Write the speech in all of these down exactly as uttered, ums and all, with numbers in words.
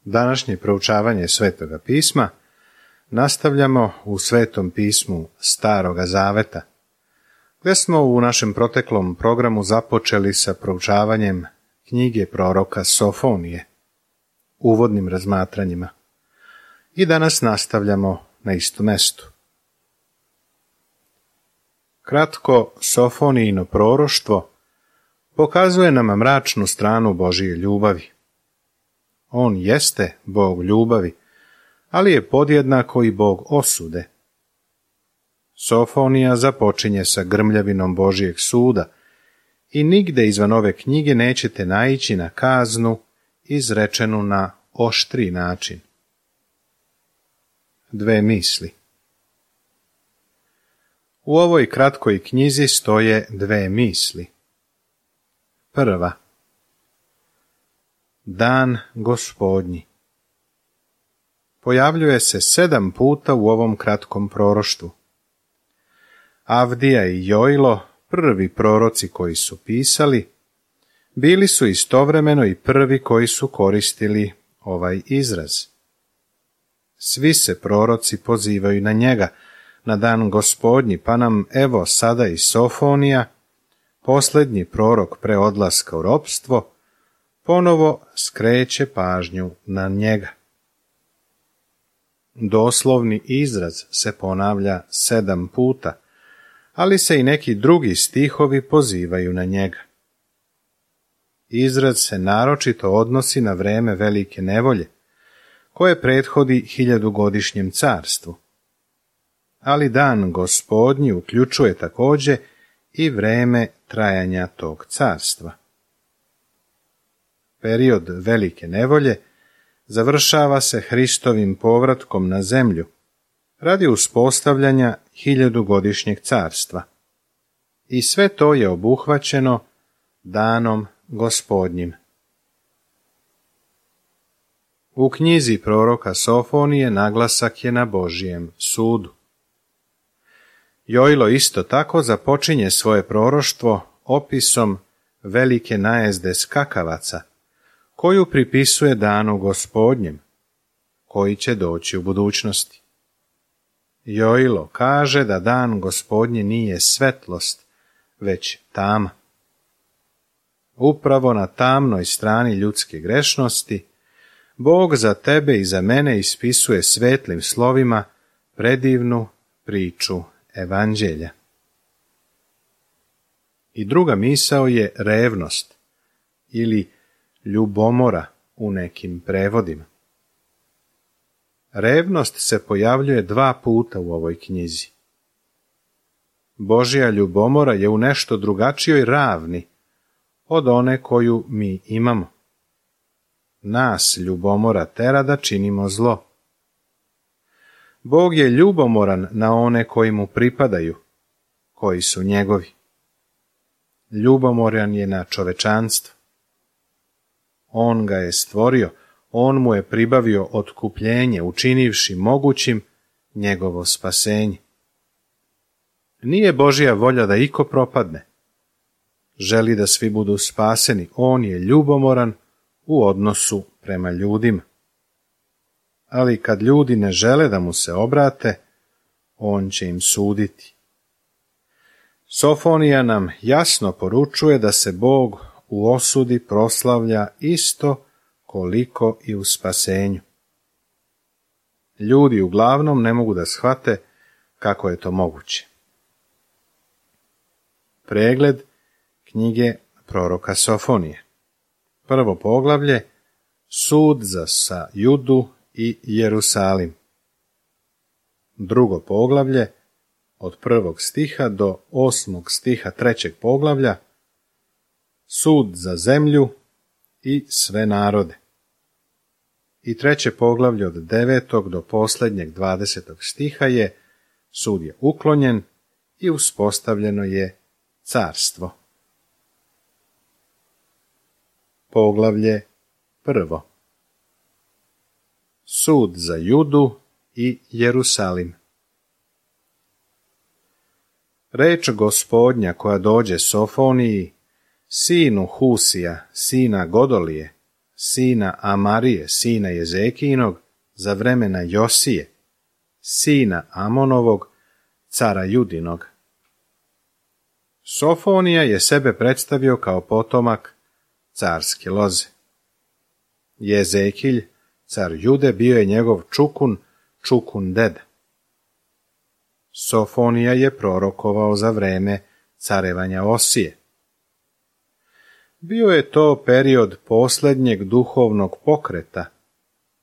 Današnje proučavanje Svetoga pisma nastavljamo u Svetom pismu Staroga Zaveta, gdje smo u našem proteklom programu započeli sa proučavanjem knjige proroka Sofonije, uvodnim razmatranjima. I danas nastavljamo na istom mestu. Kratko, Sofonijino proroštvo pokazuje nam mračnu stranu Božije ljubavi. On jeste Bog ljubavi, ali je podjednako i Bog osude. Sofonija započinje sa grmljavinom Božijeg suda i nigde izvan ove knjige nećete naići na kaznu izrečenu na oštri način. Dve misli. U ovoj kratkoj knjizi stoje dve misli. Prva. Dan Gospodnji. Pojavljuje se sedam puta u ovom kratkom proroštvu. Avdija i Jojlo, prvi proroci koji su pisali, bili su istovremeno i prvi koji su koristili ovaj izraz. Svi se proroci pozivaju na njega, na dan Gospodnji, pa nam evo sada i Sofonija, posljednji prorok pre odlaska u ropstvo, ponovo skreće pažnju na njega. Doslovni izraz se ponavlja sedam puta, ali se i neki drugi stihovi pozivaju na njega. Izraz se naročito odnosi na vreme velike nevolje, koje prethodi hiljadugodišnjem carstvu. Ali dan Gospodnji uključuje također i vreme trajanja tog carstva. Period velike nevolje završava se Hristovim povratkom na zemlju radi uspostavljanja hiljadugodišnjeg carstva. I sve to je obuhvaćeno danom Gospodnjim. U knjizi proroka Sofonije naglasak je na Božijem sudu. Jojlo isto tako započinje svoje proroštvo opisom velike najezde skakavaca, koju pripisuje danu Gospodnjem, koji će doći u budućnosti. Jojlo kaže da dan Gospodnje nije svetlost, već tama. Upravo na tamnoj strani ljudske grešnosti Bog za tebe i za mene ispisuje svetlim slovima predivnu priču Evanđelja. I druga misao je revnost ili ljubomora u nekim prevodima. Revnost se pojavljuje dva puta u ovoj knjizi. Božja ljubomora je u nešto drugačijoj ravni od one koju mi imamo. Nas ljubomora tera da činimo zlo. Bog je ljubomoran na one koji mu pripadaju, koji su njegovi. Ljubomoran je na čovečanstvo. On ga je stvorio, on mu je pribavio otkupljenje, učinivši mogućim njegovo spasenje. Nije Božja volja da iko propadne. Želi da svi budu spaseni, on je ljubomoran u odnosu prema ljudima. Ali kad ljudi ne žele da mu se obrate, on će im suditi. Sofonija nam jasno poručuje da se Bog u osudi proslavlja isto koliko i u spasenju. Ljudi uglavnom ne mogu da shvate kako je to moguće. Pregled knjige proroka Sofonije. Prvo poglavlje, sud za sa Judu i Jerusalim. Drugo poglavlje, od prvog stiha do osmog stiha trećeg poglavlja, sud za zemlju i sve narode. I treće poglavlje od devetog do posljednjeg dvadesetog stiha je sud je uklonjen i uspostavljeno je carstvo. Poglavlje prvo. Sud za Judu i Jerusalim. Reč Gospodnja koja dođe Sofoniji, sinu Husija, sina Godolije, sina Amarije, sina Jezekijinog, za vremena Josije, sina Amonovog, cara Judinog. Sofonija je sebe predstavio kao potomak carske loze. Jezekilj, car Jude, bio je njegov čukun, čukun deda. Sofonija je prorokovao za vreme carevanja Osije. Bio je to period posljednjeg duhovnog pokreta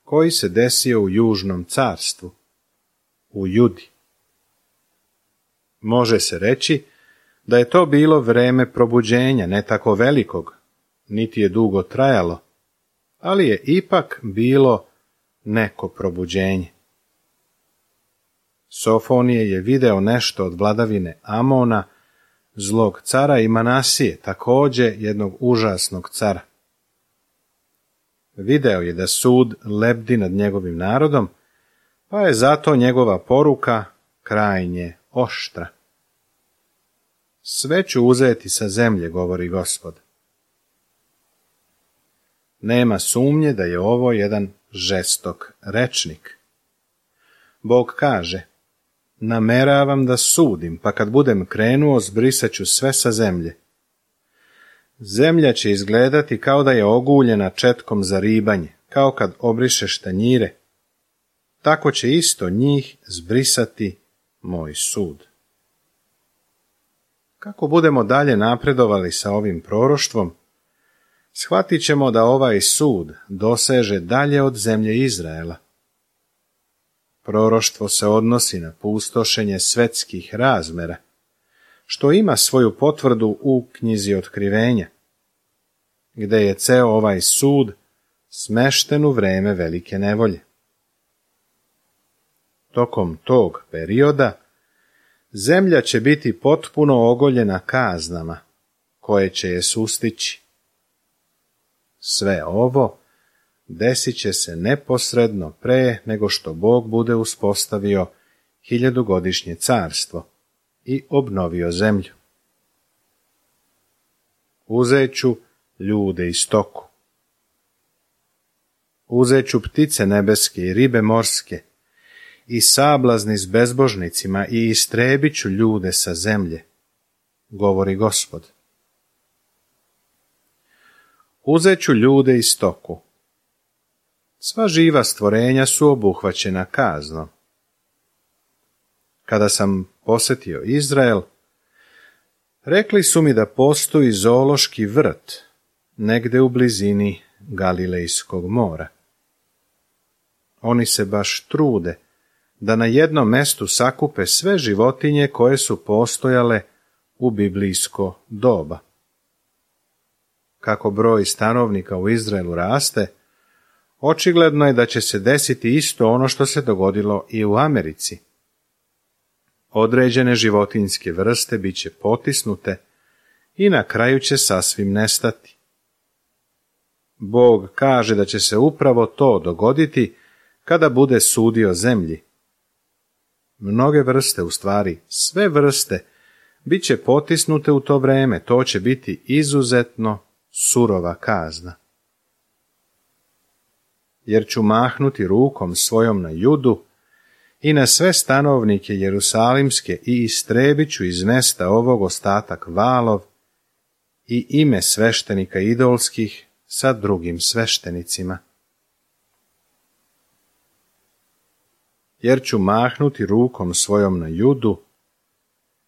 koji se desio u južnom carstvu, u Judi. Može se reći da je to bilo vreme probuđenja, ne tako velikog, niti je dugo trajalo, ali je ipak bilo neko probuđenje. Sofonije je video nešto od vladavine Amona, zlog cara, i Manasije, također jednog užasnog cara. Video je da sud lebdi nad njegovim narodom, pa je zato njegova poruka krajnje oštra. Sve ću uzeti sa zemlje, govori Gospod. Nema sumnje da je ovo jedan žestok rečnik. Bog kaže: nameravam da sudim, pa kad budem krenuo, zbrisat ću sve sa zemlje. Zemlja će izgledati kao da je oguljena četkom za ribanje, kao kad obrišeš tanjire. Tako će isto njih zbrisati moj sud. Kako budemo dalje napredovali sa ovim proroštvom, shvatit ćemo da ovaj sud doseže dalje od zemlje Izraela. Proroštvo se odnosi na pustošenje svetskih razmera, što ima svoju potvrdu u knjizi Otkrivenja, gde je ceo ovaj sud smešten u vreme velike nevolje. Tokom tog perioda zemlja će biti potpuno ogoljena kaznama, koje će je sustići. Sve ovo desit će se neposredno pre nego što Bog bude uspostavio hiljadugodišnje carstvo i obnovio zemlju. Uzet ću ljude i stoku. Uzet ću ptice nebeske i ribe morske i sablazni s bezbožnicima i istrebit ću ljude sa zemlje, govori Gospod. Uzet ću ljude i stoku. Sva živa stvorenja su obuhvaćena kaznom. Kada sam posjetio Izrael, rekli su mi da postoji zoološki vrt negde u blizini Galilejskog mora. Oni se baš trude da na jednom mestu sakupe sve životinje koje su postojale u biblijsko doba. Kako broj stanovnika u Izraelu raste, očigledno je da će se desiti isto ono što se dogodilo i u Americi. Određene životinjske vrste bit će potisnute i na kraju će sasvim nestati. Bog kaže da će se upravo to dogoditi kada bude sudio zemlji. Mnoge vrste, u stvari sve vrste, bit će potisnute u to vreme, to će biti izuzetno surova kazna. Jer ću mahnuti rukom svojom na Judu i na sve stanovnike Jerusalimske i istrebit ću iz mesta ovog ostatak valov i ime sveštenika idolskih sa drugim sveštenicima. Jer ću mahnuti rukom svojom na Judu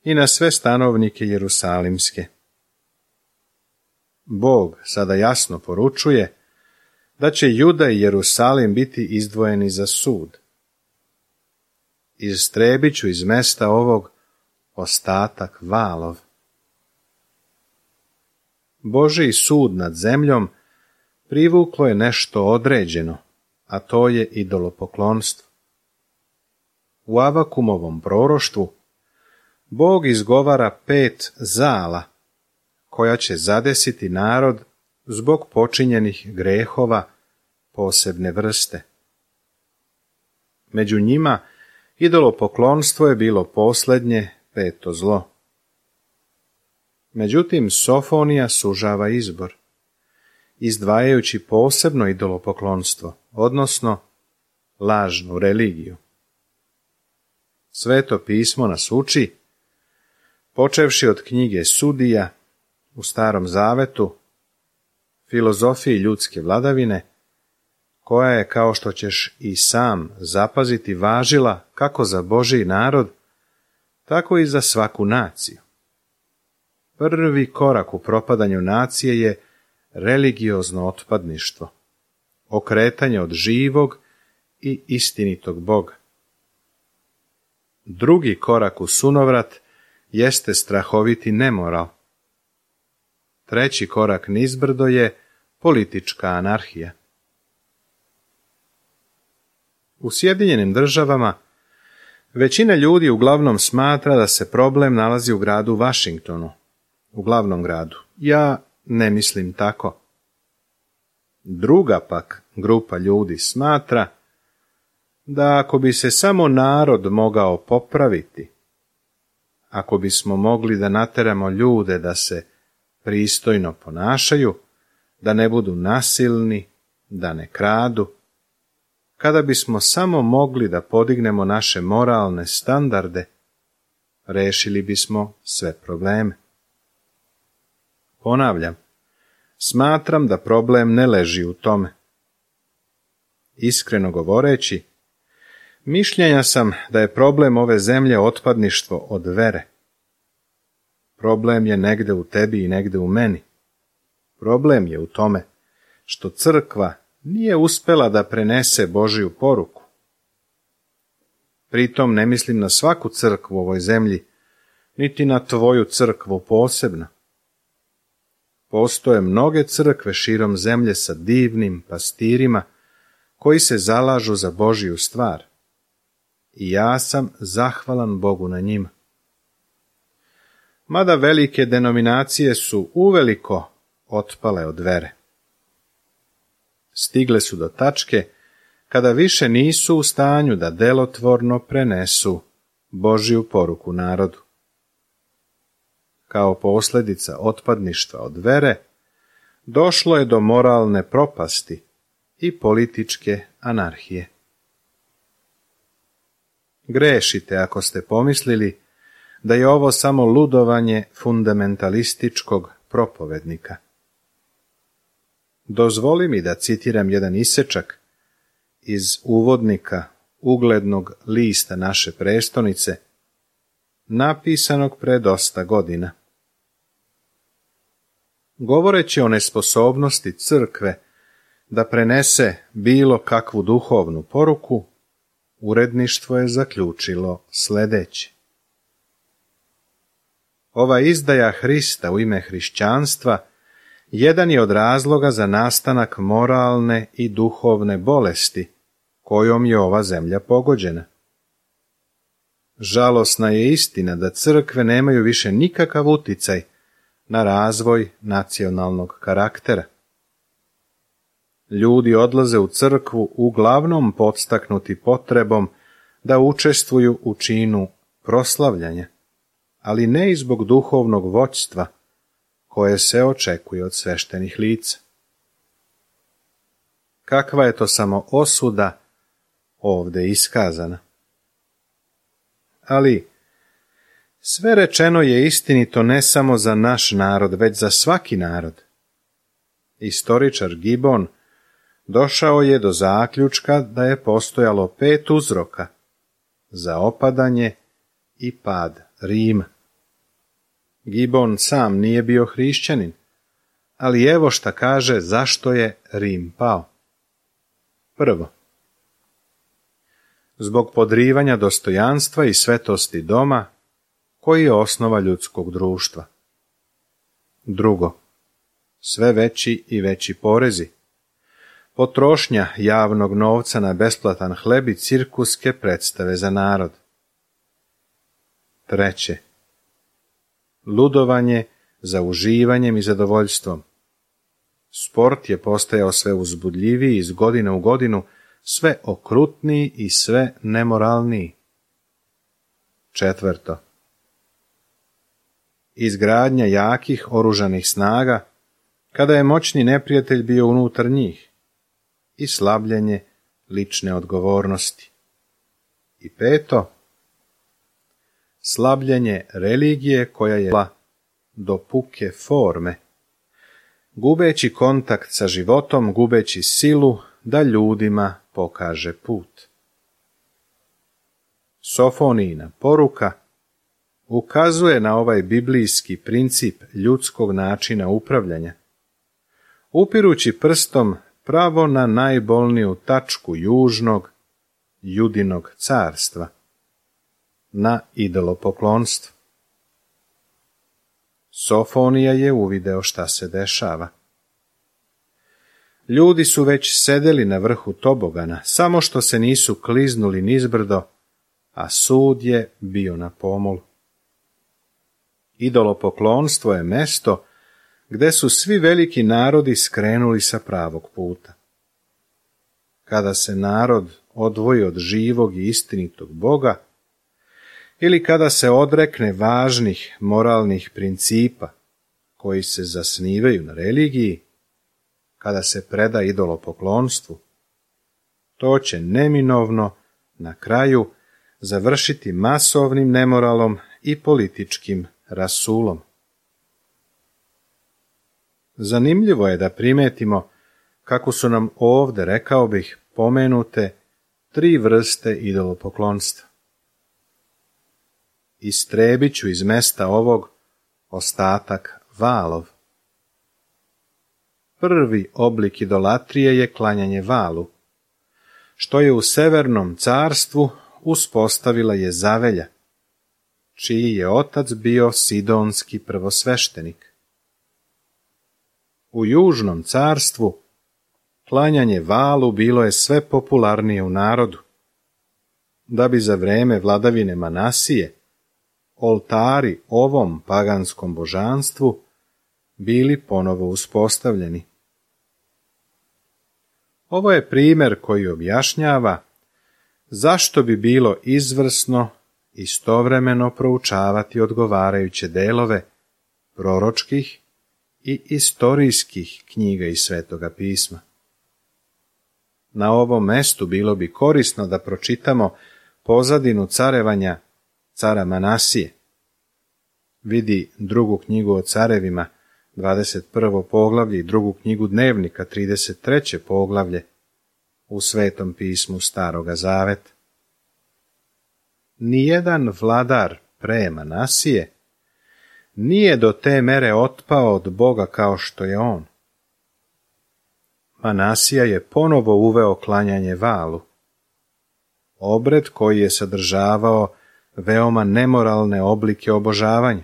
i na sve stanovnike Jerusalimske. Bog sada jasno poručuje da će Juda i Jerusalim biti izdvojeni za sud. Istrebit ću iz mesta ovog ostatak valov. Božji sud nad zemljom privuklo je nešto određeno, a to je idolopoklonstvo. U Avakumovom proroštvu Bog izgovara pet zala, koja će zadesiti narod zbog počinjenih grehova posebne vrste. Među njima idolopoklonstvo je bilo posljednje peto zlo. Međutim, Sofonija sužava izbor izdvajajući posebno idolopoklonstvo, odnosno lažnu religiju. Sveto pismo nas uči, počevši od knjige Sudija u Starom zavetu, filozofiji ljudske vladavine, koja je, kao što ćeš i sam zapaziti, važila kako za Božji narod, tako i za svaku naciju. Prvi korak u propadanju nacije je religiozno otpadništvo, okretanje od živog i istinitog Boga. Drugi korak u sunovrat jeste strahoviti nemoral. Treći korak nizbrdo je politička anarhija. U Sjedinjenim državama većina ljudi uglavnom smatra da se problem nalazi u gradu Washingtonu, u glavnom gradu. Ja ne mislim tako. Druga pak grupa ljudi smatra da ako bi se samo narod mogao popraviti, ako bismo mogli da nateramo ljude da se pristojno ponašaju, da ne budu nasilni, da ne kradu, kada bismo samo mogli da podignemo naše moralne standarde, rešili bismo sve probleme. Ponavljam, smatram da problem ne leži u tome. Iskreno govoreći, mišljenja sam da je problem ove zemlje otpadništvo od vere. Problem je negde u tebi i negde u meni. Problem je u tome što crkva nije uspela da prenese Božiju poruku. Pritom ne mislim na svaku crkvu u ovoj zemlji, niti na tvoju crkvu posebno. Postoje mnoge crkve širom zemlje sa divnim pastirima koji se zalažu za Božiju stvar. I ja sam zahvalan Bogu na njima. Mada velike denominacije su uveliko otpale od vere. Stigle su do tačke kada više nisu u stanju da delotvorno prenesu Božju poruku narodu. Kao posljedica otpadništva od vere, došlo je do moralne propasti i političke anarhije. Grešite ako ste pomislili da je ovo samo ludovanje fundamentalističkog propovednika. Dozvoli mi da citiram jedan isečak iz uvodnika uglednog lista naše prestonice, napisanog pre dosta godina. Govoreći o nesposobnosti crkve da prenese bilo kakvu duhovnu poruku, uredništvo je zaključilo sledeće. Ova izdaja Hrista u ime hrišćanstva jedan je od razloga za nastanak moralne i duhovne bolesti kojom je ova zemlja pogođena. Žalosna je istina da crkve nemaju više nikakav uticaj na razvoj nacionalnog karaktera. Ljudi odlaze u crkvu uglavnom podstaknuti potrebom da učestvuju u činu proslavljanja, ali ne i zbog duhovnog vođstva koje se očekuje od sveštenih lica. Kakva je to samo osuda ovde iskazana? Ali sve rečeno je istinito ne samo za naš narod, već za svaki narod. Istoričar Gibbon došao je do zaključka da je postojalo pet uzroka za opadanje i pad Rima. Gibbon sam nije bio hrišćanin, ali evo šta kaže zašto je Rim pao. Prvo, zbog podrivanja dostojanstva i svetosti doma, koji je osnova ljudskog društva. Drugo, sve veći i veći porezi, potrošnja javnog novca na besplatan hleb i cirkuske predstave za narod. Treće, ludovanje za uživanjem i zadovoljstvom. Sport je postajao sve uzbudljiviji iz godine u godinu, sve okrutniji i sve nemoralniji. Četvrto, izgradnja jakih oružanih snaga kada je moćni neprijatelj bio unutar njih, i slabljenje lične odgovornosti. I peto, slabljenje religije koja je bila do puke forme, gubeći kontakt sa životom, gubeći silu da ljudima pokaže put. Sofonijina poruka ukazuje na ovaj biblijski princip ljudskog načina upravljanja, upirući prstom pravo na najbolniju tačku južnog Judinog carstva, na idolopoklonstvo. Sofonija je uvideo šta se dešava. Ljudi su već sedeli na vrhu tobogana, samo što se nisu kliznuli nizbrdo, a sud je bio na pomolu. Idolopoklonstvo je mesto gde su svi veliki narodi skrenuli sa pravog puta. Kada se narod odvoji od živog i istinitog Boga, ili kada se odrekne važnih moralnih principa koji se zasnivaju na religiji, kada se preda idolopoklonstvu, to će neminovno na kraju završiti masovnim nemoralom i političkim rasulom. Zanimljivo je da primetimo kako su nam ovde, rekao bih, pomenute tri vrste idolopoklonstva. Istrebit ću iz mesta ovog ostatak valov. Prvi oblik idolatrije je klanjanje valu, što je u Severnom carstvu uspostavila Jezavelja, čiji je otac bio sidonski prvosveštenik. U Južnom carstvu klanjanje valu bilo je sve popularnije u narodu, da bi za vreme vladavine Manasije oltari ovom paganskom božanstvu bili ponovo uspostavljeni. Ovo je primjer koji objašnjava zašto bi bilo izvrsno istovremeno proučavati odgovarajuće delove proročkih i istorijskih knjiga iz Svetoga pisma. Na ovom mestu bilo bi korisno da pročitamo pozadinu carevanja cara Manasije. Vidi drugu knjigu o carevima, dvadeset prvo poglavlje, i drugu knjigu dnevnika, trideset treće poglavlje, u Svetom pismu Staroga zaveta. Nijedan vladar pre Manasije nije do te mere otpao od Boga kao što je on. Manasija je ponovo uveo klanjanje valu, obred koji je sadržavao veoma nemoralne oblike obožavanja.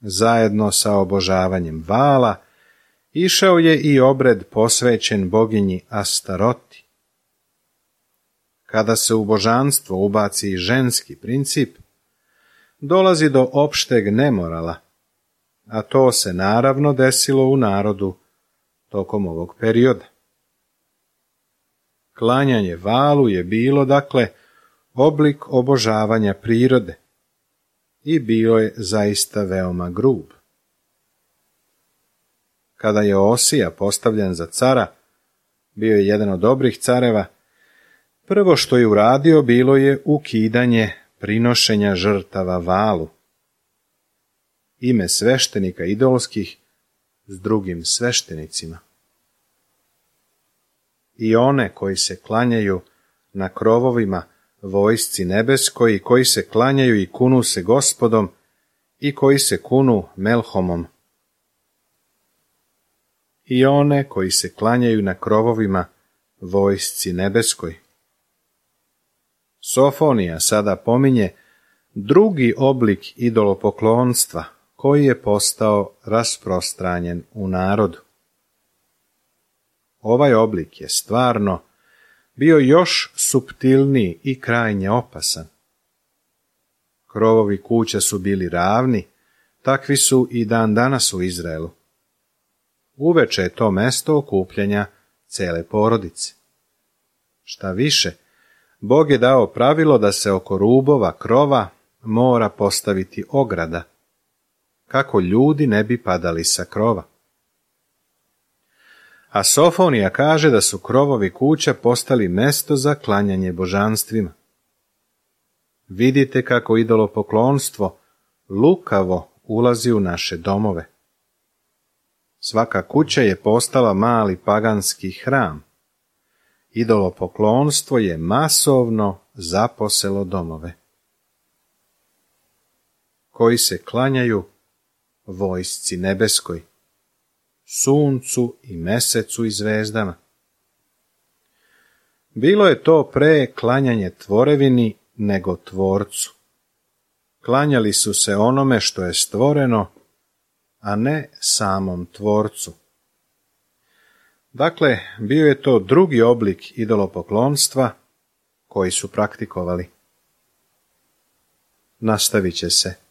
Zajedno sa obožavanjem vala išao je i obred posvećen boginji Astaroti. Kada se u božanstvo ubaci i ženski princip, dolazi do opšteg nemorala, a to se naravno desilo u narodu tokom ovog perioda. Klanjanje valu je bilo, dakle, oblik obožavanja prirode i bio je zaista veoma grub. Kada je Osija postavljen za cara, bio je jedan od dobrih careva, prvo što je uradio bilo je ukidanje prinošenja žrtava valu. Ime sveštenika idolskih s drugim sveštenicima. I one koji se klanjaju na krovovima vojsci nebeskoj i koji se klanjaju i kunu se Gospodom i koji se kunu Melhomom. I one koji se klanjaju na krovovima vojsci nebeskoj. Sofonija sada pominje drugi oblik idolopoklonstva koji je postao rasprostranjen u narodu. Ovaj oblik je stvarno bio još suptilniji i krajnje opasan. Krovovi kuća su bili ravni, takvi su i dan danas u Izraelu. Uveče je to mesto okupljanja cele porodice. Šta više, Bog je dao pravilo da se oko rubova krova mora postaviti ograda, kako ljudi ne bi padali sa krova. A Sofonija kaže da su krovovi kuća postali mesto za klanjanje božanstvima. Vidite kako idolopoklonstvo lukavo ulazi u naše domove. Svaka kuća je postala mali paganski hram. Idolopoklonstvo je masovno zaposelo domove. Koji se klanjaju vojsci nebeskoj, suncu i mesecu i zvezdama. Bilo je to pre klanjanje tvorevini nego tvorcu. Klanjali su se onome što je stvoreno, a ne samom tvorcu. Dakle, bio je to drugi oblik idolopoklonstva koji su praktikovali. Nastavit će se.